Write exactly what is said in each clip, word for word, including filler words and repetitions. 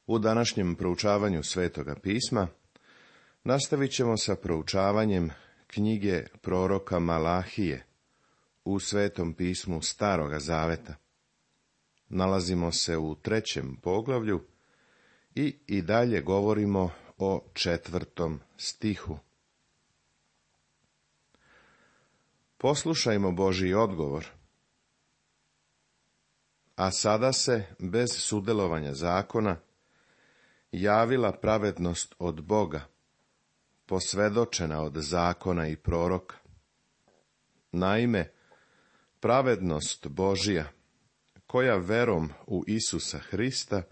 U današnjem proučavanju Svetoga pisma nastavit ćemo sa proučavanjem knjige proroka Malahije u Svetom pismu Staroga Zaveta. Nalazimo se u trećem poglavlju i i dalje govorimo o četvrtom stihu. Poslušajmo Božji odgovor. A sada se, bez sudjelovanja zakona, javila pravednost od Boga, posvjedočena od zakona i proroka. Naime, pravednost Božja, koja verom u Isusa Hrista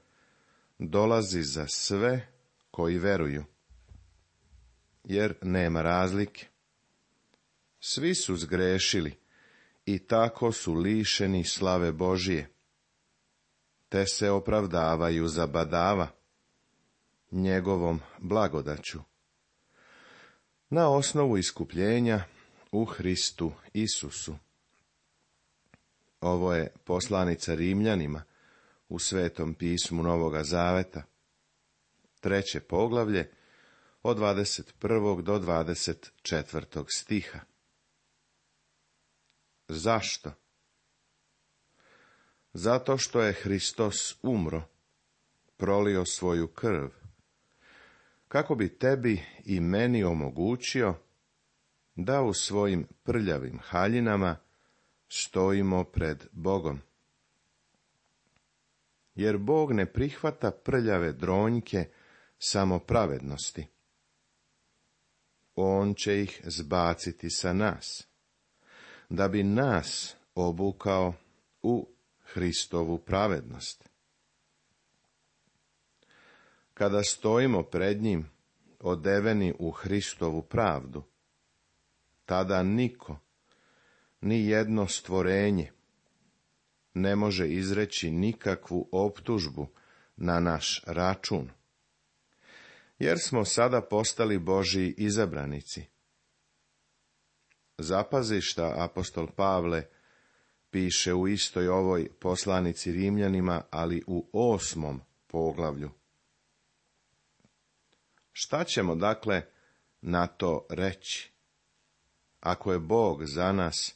dolazi za sve koji veruju, jer nema razlike. Svi su zgrešili i tako su lišeni slave Božije, te se opravdavaju za badava njegovom blagodaću, na osnovu iskupljenja u Hristu Isusu. Ovo je poslanica Rimljanima u Svetom pismu Novoga Zaveta, treće poglavlje, od dvadeset prvog do dvadeset četvrtog stiha. Zašto? Zato što je Hristos umro, prolio svoju krv, kako bi tebi i meni omogućio da u svojim prljavim haljinama stojimo pred Bogom. Jer Bog ne prihvata prljave dronjke samo pravednosti. On će ih zbaciti sa nas, da bi nas obukao u Hristovu pravednost. Kada stojimo pred njim, odeveni u Hristovu pravdu, tada niko, ni jedno stvorenje, ne može izreći nikakvu optužbu na naš račun, jer smo sada postali Božji izabranici. Zapazi šta apostol Pavle piše u istoj ovoj poslanici Rimljanima, ali u osmom poglavlju. Šta ćemo dakle na to reći? Ako je Bog za nas,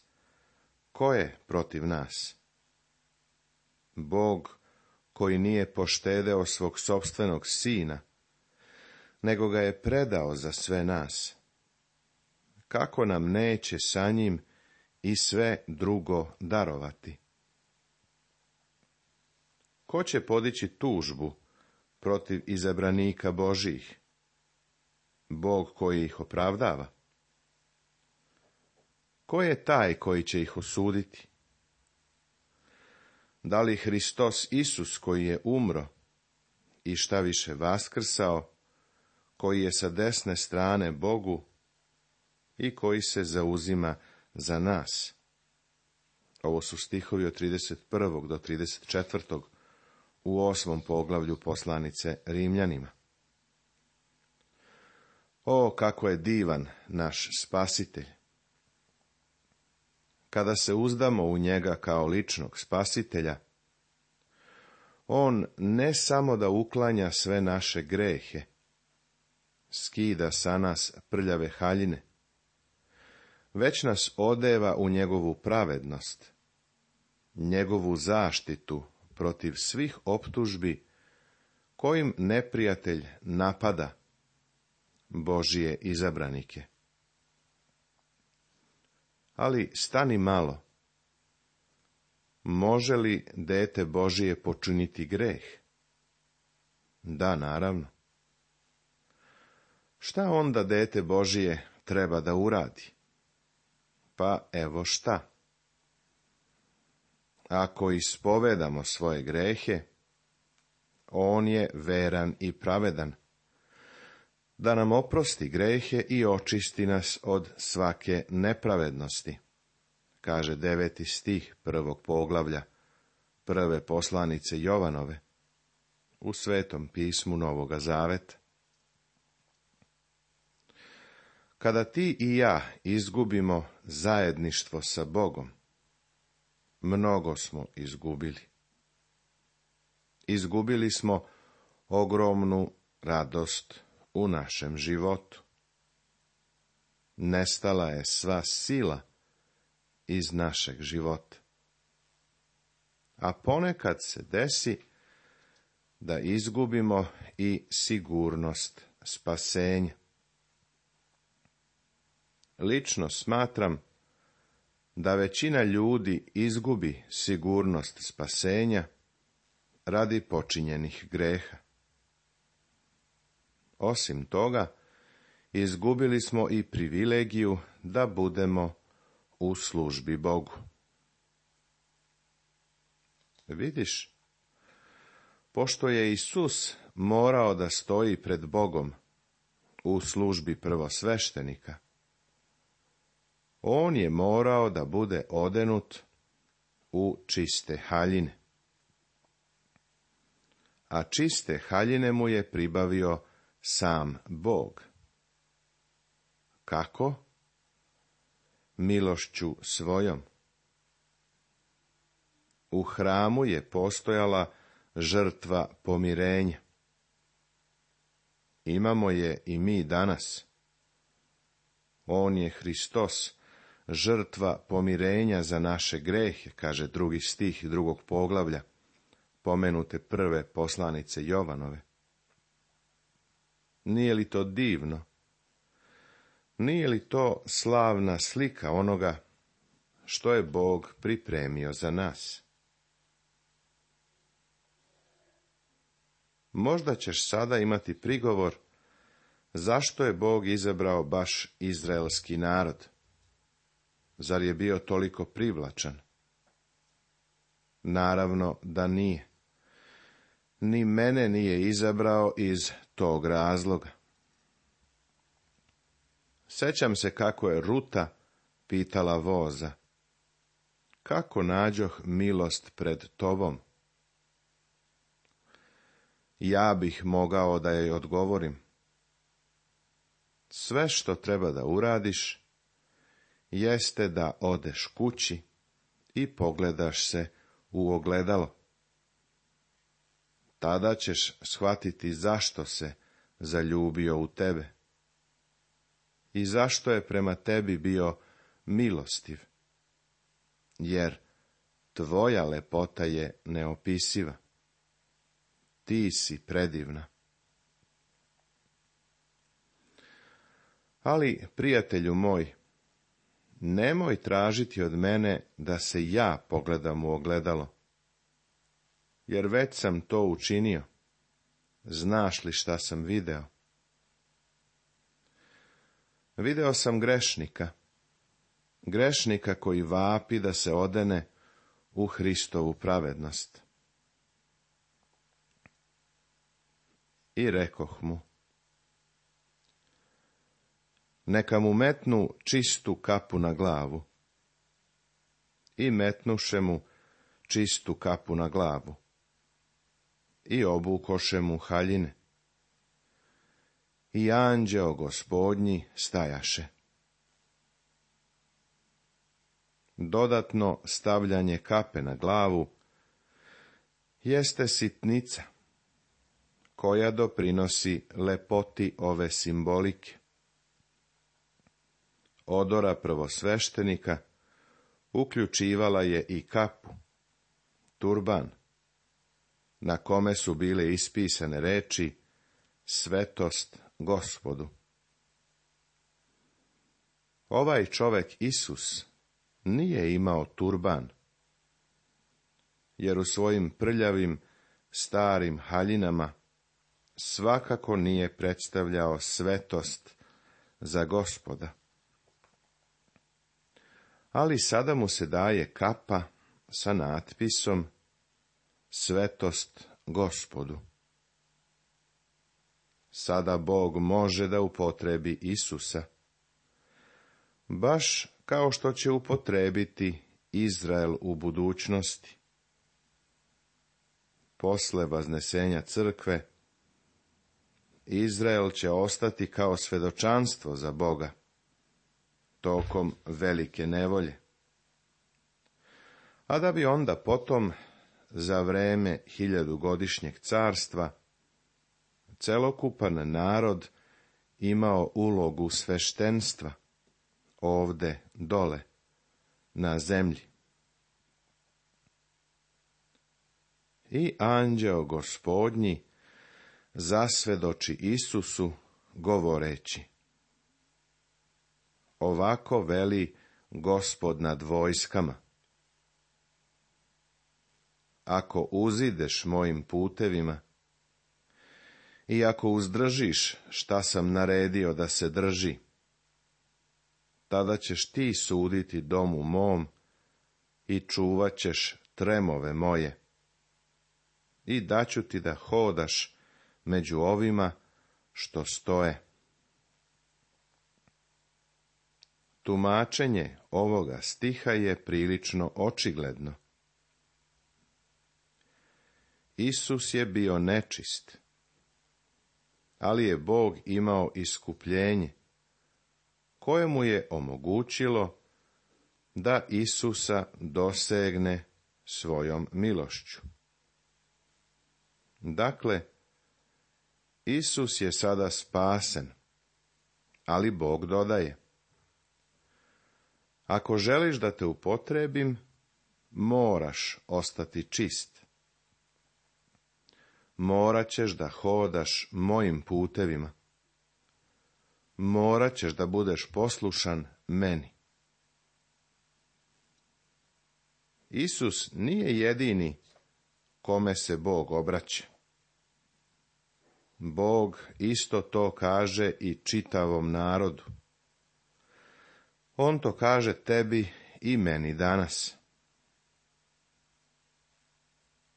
ko je protiv nas? Bog koji nije poštedeo svog sopstvenog sina, nego ga je predao za sve nas. Kako nam neće sa njim i sve drugo darovati? Ko će podići tužbu protiv izabranika Božjih? Bog koji ih opravdava. Ko je taj koji će ih osuditi? Da li Hristos Isus koji je umro i šta više vaskrsao, koji je sa desne strane Bogu i koji se zauzima za nas? Ovo su stihovi od trideset prvog do trideset četvrtog u osmom poglavlju poslanice Rimljanima. O, kako je divan naš Spasitelj! Kada se uzdamo u njega kao ličnog Spasitelja, on ne samo da uklanja sve naše grehe, skida sa nas prljave haljine, već nas odeva u njegovu pravednost, njegovu zaštitu protiv svih optužbi kojim neprijatelj napada Božije izabranike. Ali stani malo. Može li dete Božije počiniti greh? Da, naravno. Šta onda dete Božije treba da uradi? Pa evo šta. Ako ispovedamo svoje grehe, on je veran i pravedan, da nam oprosti grehe i očisti nas od svake nepravednosti, kaže deveti stih prvog poglavlja prve poslanice Jovanove u Svetom pismu Novoga Zaveta. Kada ti i ja izgubimo zajedništvo sa Bogom, mnogo smo izgubili. Izgubili smo ogromnu radost u našem životu. Nestala je sva sila iz našeg života. A ponekad se desi da izgubimo i sigurnost spasenja. Lično smatram da većina ljudi izgubi sigurnost spasenja radi počinjenih greha. Osim toga, izgubili smo i privilegiju da budemo u službi Bogu. Vidiš, pošto je Isus morao da stoji pred Bogom u službi prvosveštenika, on je morao da bude odenut u čiste haljine. A čiste haljine mu je pribavio sam Bog. Kako? Milošću svojom. U hramu je postojala žrtva pomirenja. Imamo je i mi danas. On je Hristos, žrtva pomirenja za naše grehe, kaže drugi stih drugog poglavlja, pomenute prve poslanice Jovanove. Nije li to divno? Nije li to slavna slika onoga što je Bog pripremio za nas? Možda ćeš sada imati prigovor zašto je Bog izabrao baš izraelski narod. Zar je bio toliko privlačan? Naravno da nije. Ni mene nije izabrao iz tog razloga. Sećam se kako je Ruta pitala voza: kako nađoh milost pred tobom? Ja bih mogao da joj odgovorim: sve što treba da uradiš jeste da odeš kući i pogledaš se u ogledalo. Tada ćeš shvatiti zašto se zaljubio u tebe i zašto je prema tebi bio milostiv, jer tvoja lepota je neopisiva. Ti si predivna. Ali, prijatelju moj, nemoj tražiti od mene da se ja pogledam u ogledalo, jer već sam to učinio. Znaš li šta sam video? Video sam grešnika, grešnika koji vapi da se odene u Hristovu pravednost. I rekoh mu: neka mu metnu čistu kapu na glavu. I metnuše mu čistu kapu na glavu. I obukoše mu haljine. I anđeo Gospodnji stajaše. Dodatno stavljanje kape na glavu jeste sitnica koja doprinosi lepoti ove simbolike. Odora prvosveštenika uključivala je i kapu, turban, na kome su bile ispisane reči svetost Gospodu. Ovaj čovek Isus nije imao turban, jer u svojim prljavim starim haljinama svakako nije predstavljao svetost za Gospoda. Ali sada mu se daje kapa sa natpisom svetost Gospodu. Sada Bog može da upotrebi Isusa, baš kao što će upotrebiti Izrael u budućnosti. Posle vaznesenja crkve, Izrael će ostati kao svedočanstvo za Boga tokom velike nevolje. A da bi onda potom, za vreme hiljadugodišnjeg carstva, celokupan narod imao ulogu sveštenstva, ovde, dole, na zemlji. I anđeo Gospodnji zasvedoči Isusu, govoreći: ovako veli Gospod nad vojskama: ako uzideš mojim putevima i ako uzdržiš šta sam naredio da se drži, tada ćeš ti suditi domu mom i čuvat ćeš tremove moje. I daću ti da hodaš među ovima što stoje. Tumačenje ovoga stiha je prilično očigledno. Isus je bio nečist, ali je Bog imao iskupljenje, koje mu je omogućilo da Isusa dosegne svojom milošću. Dakle, Isus je sada spasen, ali Bog dodaje: ako želiš da te upotrebim, moraš ostati čist. Morat ćeš da hodaš mojim putevima. Morat ćeš da budeš poslušan meni. Isus nije jedini kome se Bog obraća. Bog isto to kaže i čitavom narodu. On to kaže tebi i meni danas.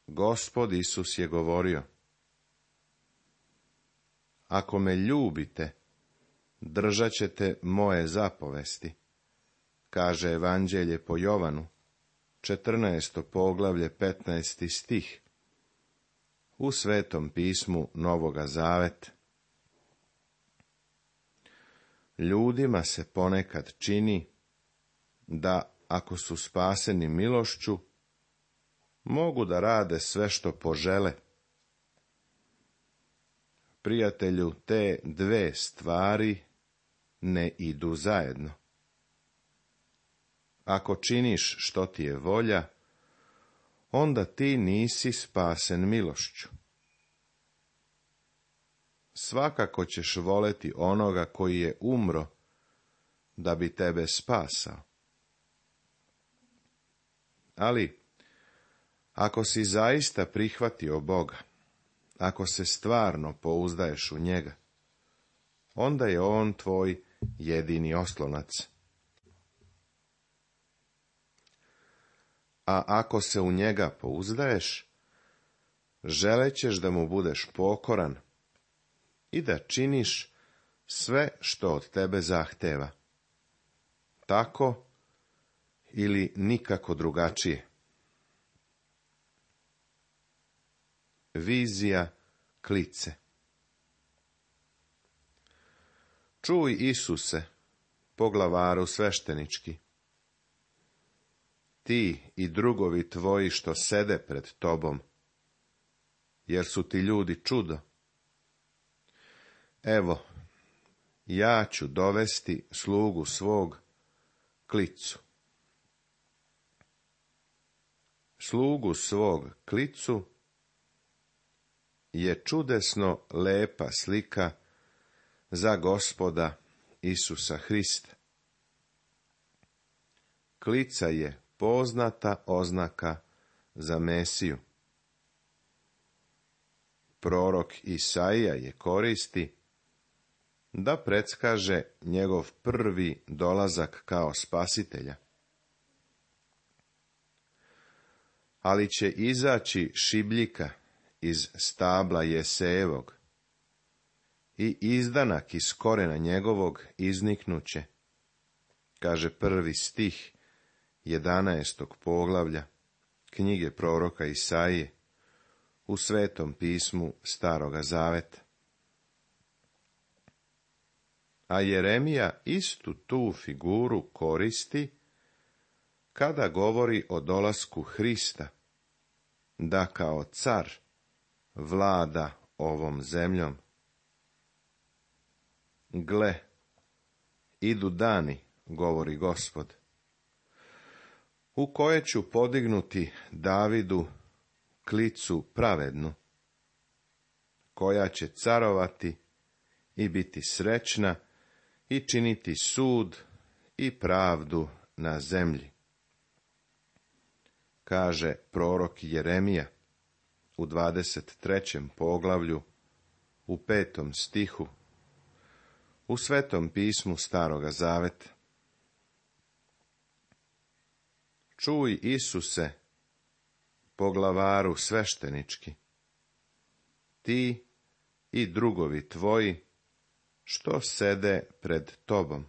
Gospod Isus je govorio: ako me ljubite, držat ćete moje zapovesti, kaže Evanđelje po Jovanu, četrnaesto poglavlje, petnaesti stih, u Svetom pismu Novoga Zaveta. Ljudima se ponekad čini da, ako su spaseni milošću, mogu da rade sve što požele. Prijatelju, te dve stvari ne idu zajedno. Ako činiš što ti je volja, onda ti nisi spasen milošću. Svakako ćeš voleti onoga koji je umro da bi tebe spasao. Ali, ako si zaista prihvatio Boga, ako se stvarno pouzdaješ u njega, onda je on tvoj jedini oslonac. A ako se u njega pouzdaješ, želećeš da mu budeš pokoran i da činiš sve što od tebe zahteva. Tako ili nikako drugačije. Vizija klice. Čuj, Isuse, poglavaru sveštenički, ti i drugovi tvoji što sede pred tobom, jer su ti ljudi čudo. Evo, ja ću dovesti slugu svog klicu. Slugu svog klicu je čudesno lepa slika za Gospoda Isusa Hrista. Klica je poznata oznaka za Mesiju. Prorok Isaija je koristi da predskaže njegov prvi dolazak kao spasitelja. Ali će izaći šibljika iz stabla Jesejevog i izdanak iz korena njegovog izniknuće, kaže prvi stih jedanaestog poglavlja knjige proroka Isaije u Svetom pismu Staroga Zaveta. A Jeremija istu tu figuru koristi kada govori o dolasku Hrista, da kao car vlada ovom zemljom. Gle, idu dani, govori Gospod, u koje ću podignuti Davidu klicu pravednu, koja će carovati i biti srećna i činiti sud i pravdu na zemlji. Kaže prorok Jeremija u dvadeset trećem poglavlju, u petom stihu, u Svetom pismu Staroga Zaveta. Čuj, Isuse, poglavaru sveštenički, ti i drugovi tvoji, što sede pred tobom.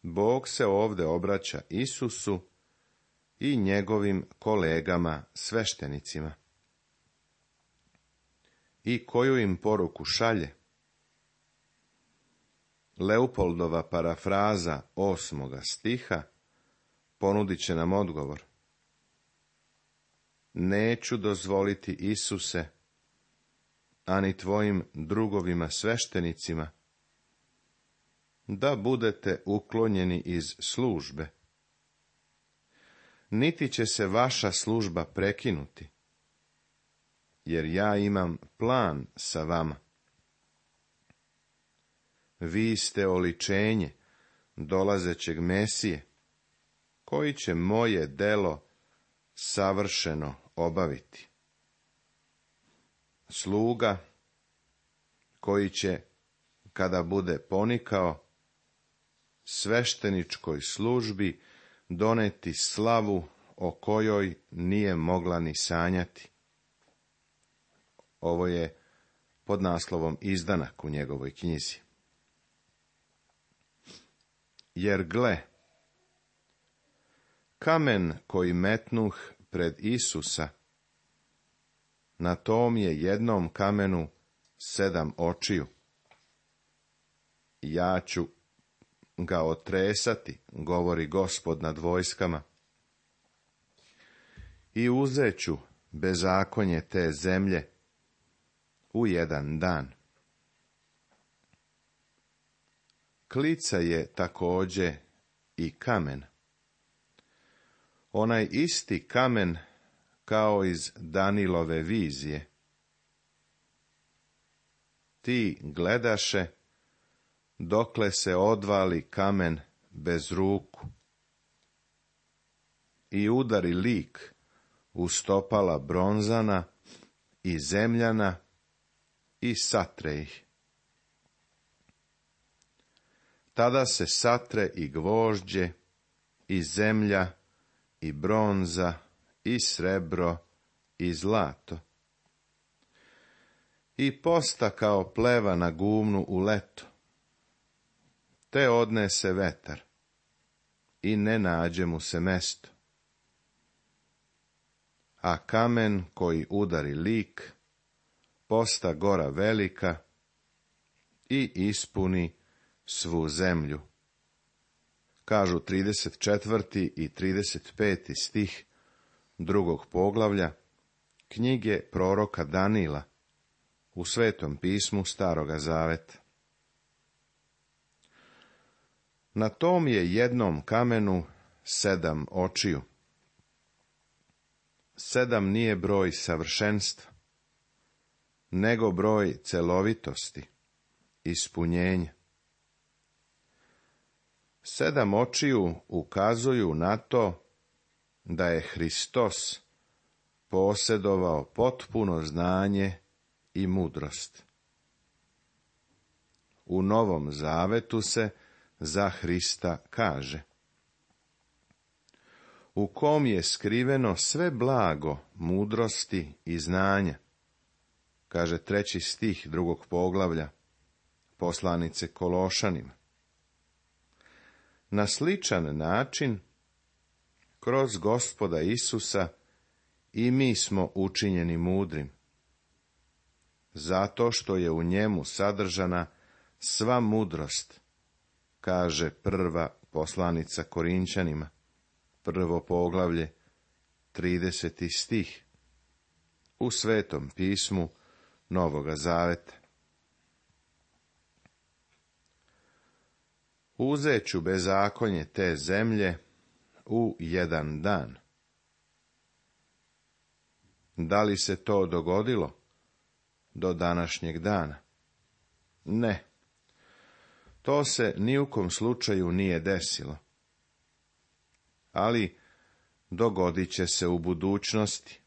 Bog se ovdje obraća Isusu i njegovim kolegama sveštenicima. I koju im poruku šalje? Leopoldova parafraza osmoga stiha ponudit će nam odgovor. Neću dozvoliti, Isuse, ani tvojim drugovima sveštenicima, da budete uklonjeni iz službe. Niti će se vaša služba prekinuti, jer ja imam plan sa vama. Vi ste oličenje dolazećeg Mesije, koji će moje delo savršeno obaviti. Sluga koji će, kada bude ponikao, svešteničkoj službi doneti slavu o kojoj nije mogla ni sanjati. Ovo je pod naslovom izdanak u njegovoj knjizi. Jer gle, kamen koji metnuh pred Isusa, na tom je jednom kamenu sedam očiju. Ja ću ga otresati, govori Gospod nad vojskama, i uzeću bezakonje te zemlje u jedan dan. Klica je također i kamen. Onaj isti kamen kao iz Danilove vizije. Ti gledaše dokle se odvali kamen bez ruku i udari lik u stopala bronzana i zemljana i satre ih. Tada se satre i gvožđe, i zemlja, i bronza, i srebro, i zlato. I posta kao pleva na gumnu u leto, te odnese vetar, i ne nađe mu se mesto. A kamen koji udari lik, posta gora velika i ispuni svu zemlju. Kažu trideset četvrti i trideset peti stih drugog poglavlja knjige proroka Danila u Svetom pismu Staroga Zaveta. Na tom je jednom kamenu sedam očiju. Sedam nije broj savršenstva, nego broj celovitosti, ispunjenja. Sedam očiju ukazuju na to da je Hristos posjedovao potpuno znanje i mudrost. U Novom Zavetu se za Hrista kaže: u kom je skriveno sve blago mudrosti i znanja, kaže treći stih drugog poglavlja poslanice Kološanima. Na sličan način, kroz Gospoda Isusa, i mi smo učinjeni mudrim, zato što je u njemu sadržana sva mudrost, kaže prva poslanica Korinćanima, prvo poglavlje, trideseti stih, u Svetom pismu Novoga Zaveta. Uzet ću bezakonje te zemlje u jedan dan. Da li se to dogodilo do današnjeg dana? Ne. To se ni u kom slučaju nije desilo. Ali dogodit će se u budućnosti.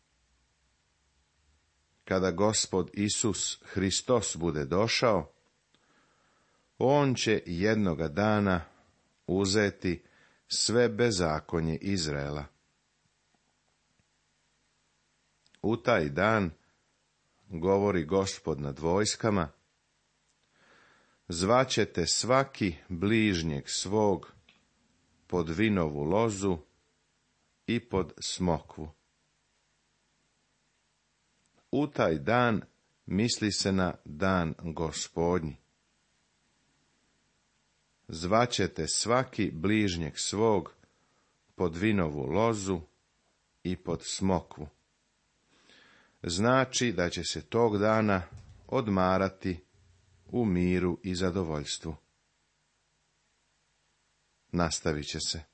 Kada Gospod Isus Hristos bude došao, on će jednoga dana uzeti sve bezakonje Izraela. U taj dan, govori Gospod nad vojskama, zvaćete svaki bližnjeg svog pod vinovu lozu i pod smokvu. U taj dan misli se na dan Gospodnji. Zvaćete svaki bližnjeg svog pod vinovu lozu i pod smokvu. Znači da će se tog dana odmarati u miru i zadovoljstvu. Nastavit će se.